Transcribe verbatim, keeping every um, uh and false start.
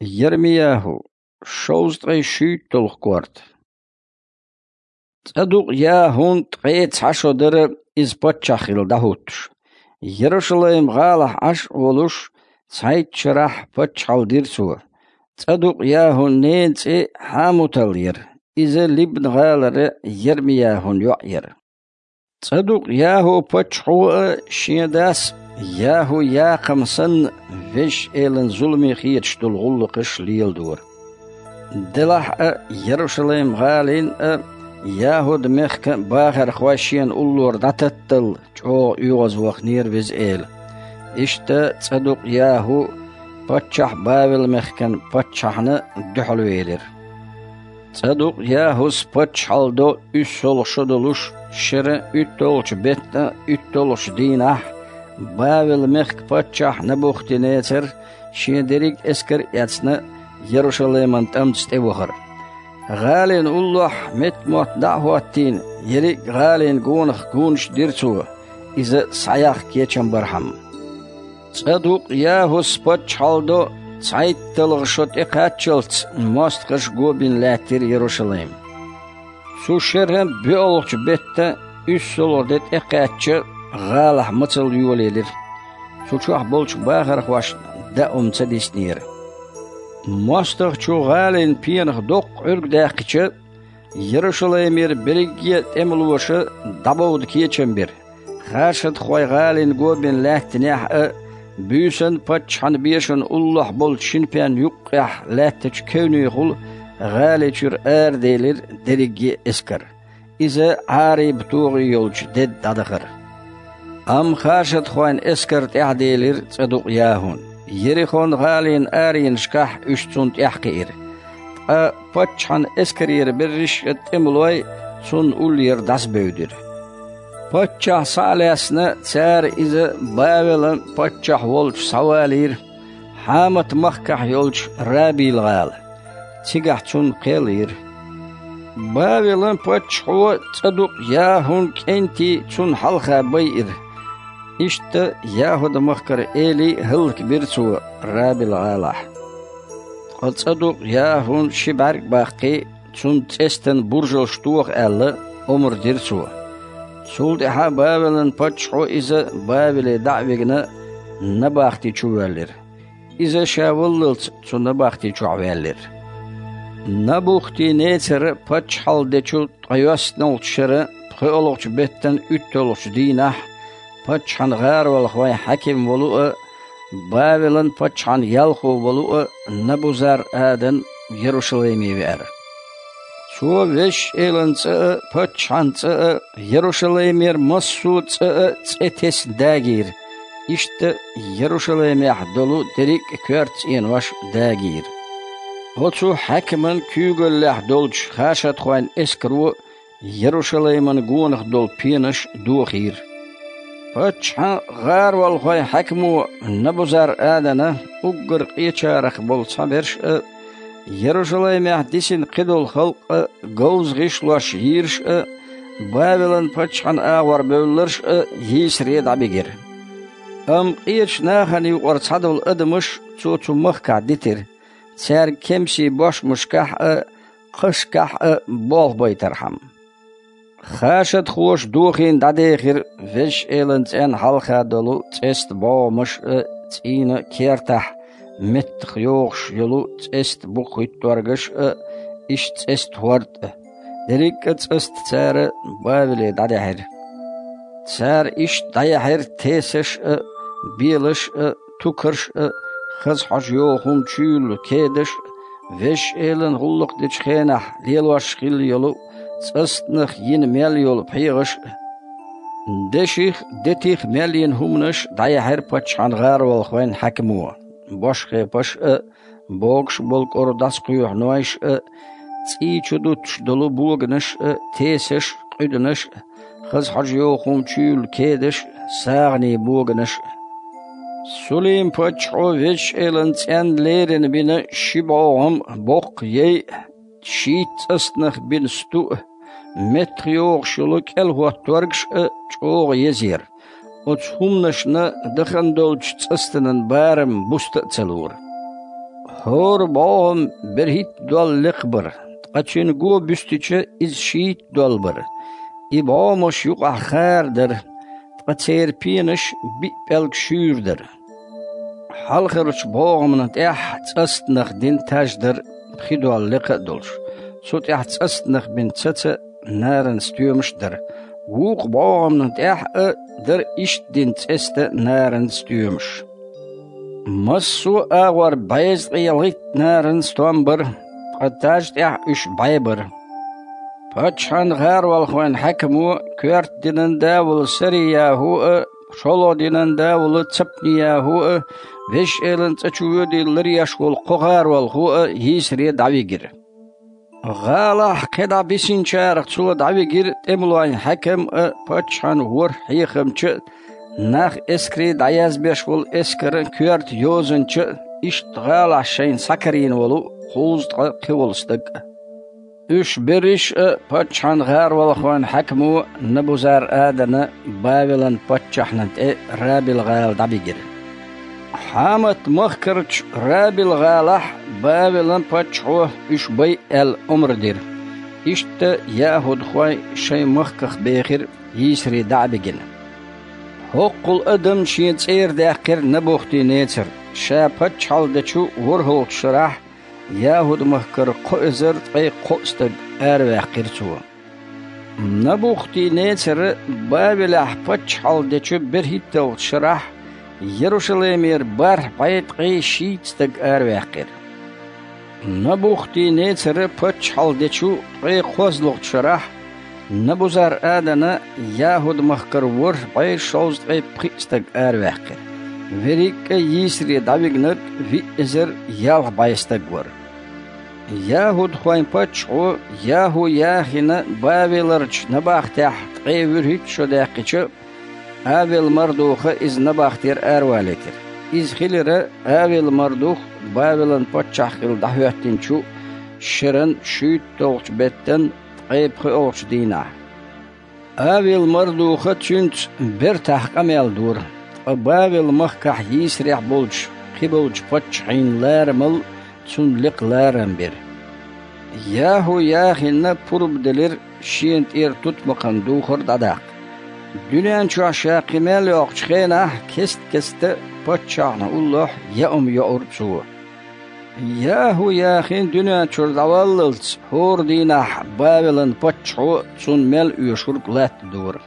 Ермияху, шовзткъе шуьйтталгӀа корта. ЦӀадукъ-ЯхӀун ткъе цхьа шо дара иза паччахь хилла дӀахӀуттуш. Ярушалайм-гӀалахь Ӏаш а волуш, цхьайтта шарахь паччахьалла дира цо. ЦӀадукъ-ЯхӀун ненан цӀе Хьамутал яра, иза Либна-гӀалара Ермияхун йоӀ яра. ЦӀадукъ-ЯхӀу-паччахьо а, шен дас ЯхӀу-Якхам санна, Везачу Элана зуламе хеташ долу гӀуллакхаш леладора. Делахь а, Ярушалайм-гӀалин а, ЯхӀуд-мехкан а бахархой шена уллора дӀататталла чӀогӀа оьгӀазваханера Веза Эла. Иштта ЦӀадукъ-ЯхӀу паччахь Бавел-мехкан паччахьна дуьхьалвелира. ЦӀадукъ-ЯхӀус паччахьалла до уьссалгӀа шо долуш, шеран уьтталгӀачу беттан уьтталгӀачу дийнахь, Бавел-мехкан паччахь Набухти-Нецар шен дерриг а эскар а эцна, Ярушалайман тӀамца тӀевахара. ГӀалин уллохь метта-мотт дӀа а хӀоттийна, ерриг а гӀалин гонах гонаш дира цо, иза схьаяккха кечам бархьама. ЦӀадукъ-ЯхӀус паччахьалла до цхьайтталгӀа шо тӀекхаччалц мостагӀаш го бина лаьттира Ярушалайм. Цу шеран боьалгӀачу беттан уьссалгӀа де тӀекхаьчча, гӀалахь мацалла йолаелира. Цу чохь болчу бахархошна даа хӀума ца диснера. МостагӀчо гӀалин пенах доккха Ӏуьрг даьккхича, Ярушалаймера берриге а тӀемалоша дӀабовда кечам бира. Хашадхой гӀалин го бина лаьттинехь а, буьйсанна паччахьан бешан уллохь болчу шина пен юккъехь лаьттачу кевнехула гӀали чуьра араделира дерриге а эскар. Иза Ӏариба-тогӀи йолчу деда дӀадахара. Амма хашадхойн эскар тӀаьхьаделира ЦӀадукъ-ЯхӀун. Ерихон-гӀалин аренашкахь уьш цунна тӀаьхьакхиира. Ткъа паччахьан эскарера берриш а тӀемалой цунна уллера дӀасабевдира. Паччахь схьа а лаьцна, цара иза Бавелан паччахь волчу схьавалийра Хьамат-махкахь йолчу Рабил-гӀала. Цигахь цунна кхел йира. Бавелан паччахьо ЦӀадукъ-ЯхӀун кӀентий цунна хьалха байира. Иштта ЯхӀуд-махкара элий а хӀаллакбира цо Рабил-гӀалахь. Ткъа ЦӀадукъ-ЯхӀун ши бӀаьрг а баккхий, цунна цӀестан буржалш тоха аьлла, омра дира цо. Цул тӀаьхьа Бавелан паччахьо иза Бавеле дӀа а вигна, набахти чу воьллира. Иза ша валлалц цу набахти чохь ваьллира. Набухти-Нецара паччахьалла дечу ткъайоьссналгӀачу шеран пхоьалгӀачу беттан уьтталгӀачу дийнахь паччахьан гӀаролхойн хьаькам волу а, Бавелан паччахьан ялхо волу а Набузар-Адан Ярушалайме веара. Цо Везачу Элан цӀа а, паччахьан цӀа а, Ярушалаймера массо а цӀа а цӀе тесна дагийра. Иштта Ярушалаймехь долу дерриг а коьрта цӀенош дагийра. Оцу хьаькаман куьйгаллехь долчу хашадхойн эскаро Ярушалайман гонах долу пенаш дохийра. Паччахьан гӀаролхойн хьаькамо Набузар-Адана уггар къечарах болу цхьаберш а, Ярушалаймехь дисина кхидолу халкъ а, говза гӀишлош йийраш а, Бавелан паччахьан агӀор бевлларш а йийсаре дӀабигира. Амма къечу нахана юкъара цхьадолу адамаш цо цу махкахь дитира, цаьрга кемсийн бошмашкахь а, кхашкахь а болх байтархьама. Хашадхоша дохийна дӀадехира Везачу Элан цӀенна хьалха долу цӀеста бӀогӀамаш а, цӀийнан кертахь меттах йогӀуш йолу цӀеста букхийтторгаш а, иштта цӀеста хӀорд а. Дерриг а цӀаста цара Бавеле дӀадаьхьира. Цара иштта дӀаяьхьира тесаш а, белаш а, тукарш а, хаза хьожа йогӀу хӀума чуйолу кедаш а, Везачу Элана гӀуллакх дечу хенахь лелош хилла йолу цӀастанах йина мел йолу пхьегӀаш а. Деших а, детих а мел йина хӀуманаш дӀаяьхьира паччахьан гӀаролхойн хьаькамо: бошхепаш а, богуш болу кӀора дӀасакхоьхьу нойш а, цӀий чу дуттуш долу боганаш а, тесаш а, къуьданаш а, хаза хьожа йогӀу хӀума чуйолу кедаш а, сагӀанийн боганаш а. Сулим-паччахьо Везачу Элан цӀенна леррина бина ши бӀогӀам а, боккха яй а, шийтта цӀастанах бина сту а, меттах йогӀуш йолу кӀелхӀотторгаш а чӀогӀа еза яра. Оцу хӀуманашна дахана долчу цӀастанан барам буста а ца лора. ХӀора бӀогӀам берхӀитта дола лекха бара, ткъа цуьнан го буьстича, иза шийтта дола бара. И бӀогӀамаш юкъахь хара дара, ткъа церан пенаш биъ пӀелг шуьйра дара. Хьалхарчу бӀогӀамна тӀехь цӀастанах дина таж дара, пхи дола лекха а долуш, цу тӀехь цӀастанах бина цаца а, наран стоьмаш а дара. Вукху бӀогӀамна тӀехь а дара иштта дина цӀеста, наран стоьмаш. Массо а агӀор бӀезткъе ялхитта наран стом бара, ткъа таж тӀехь уьш бӀе бара. Паччахьан гӀаролхойн хьаькамо, коьрта динан да волу Сари-ЯхӀу а, шолгӀа динан да волу Цапни-ЯхӀу а, Везачу Элан цӀа чу воьдийла ларъеш волу кхо гӀаролхо а йийсаре дӀавигира. ГӀалахь кхидӀа бисинчарах цо дӀавигира тӀемалойн хьаькам а, паччахьан ворхӀ хьехамча а, нах эскаре дӀаязбеш волу эскаран коьрта йозанча а, иштта гӀалахь шайна схьакарийна волу кхузткъа кхин волу стаг а. Уьш берриш а паччахьан гӀаролхойн хьаькамо Набузар-Адана Бавелан паччахьна тӀе Рабил-гӀала дӀабигира. Хьамат-махкарчу Рабил-гӀалахь Бавелан паччахьо уьш байъа аьлла омра дира. Иштта яхӀудхой шайн махках бехира, йийсаре дӀа а бигина. ХӀоккхул адам шен цӀера даьккхира Набухти-Нецар, ша паччахьалла дечу ворхӀалгӀачу шарахь, яхӀуд-махкара кхо эзар ткъе кхоъ стаг араваьккхира цо. Набухти-Нецара Бавелехь паччахьалла дечу берхӀитталгӀачу шарахь Ярушалаймера бархӀ бӀе ткъе шийтта стаг араваьккхира. Набухти-Нецара паччахьалла дечу ткъе кхозлагӀчу шарахь Набузар-Адана яхӀуд-махкара ворхӀ бӀе шовзткъе пхиъ стаг араваьккхира. Верриг а йийсаре дӀавигнарг виъ эзар ялх бӀе стаг вара. ЯхӀудхойн паччахьо ЯхӀу-Яхина Бавеларчу набахтехь ткъе вуьрхӀитта шо даьккхича, Авел-Мардуха иза набахтера аравалийтира. Иза хилира Авел-Мардух Бавелан паччахь хилла дӀахӀоьттинчу шеран шуьйтталгӀачу беттан ткъе пхоьалгӀачу дийнахь. Авел-Мардуха цуьнца бертахь къамел дора, ткъа Бавел-махкахь йийсарехь болчу кхиболчу паччахьийн ларамал цунна лекха ларам бира. ЯхӀу-Яхинна пурба делира шена тӀера тутмакхан духар дӀадаккха. Дуьнен чохь ша кхин мел йоккхучу хенахь кест-кеста паччахьна уллохь яа хӀума йоура цо. ЯхӀу-Яхин дуьнен чуьра дӀаваллалц хӀора дийнахь Бавелан паччахьо цунна мел оьшург латтадора.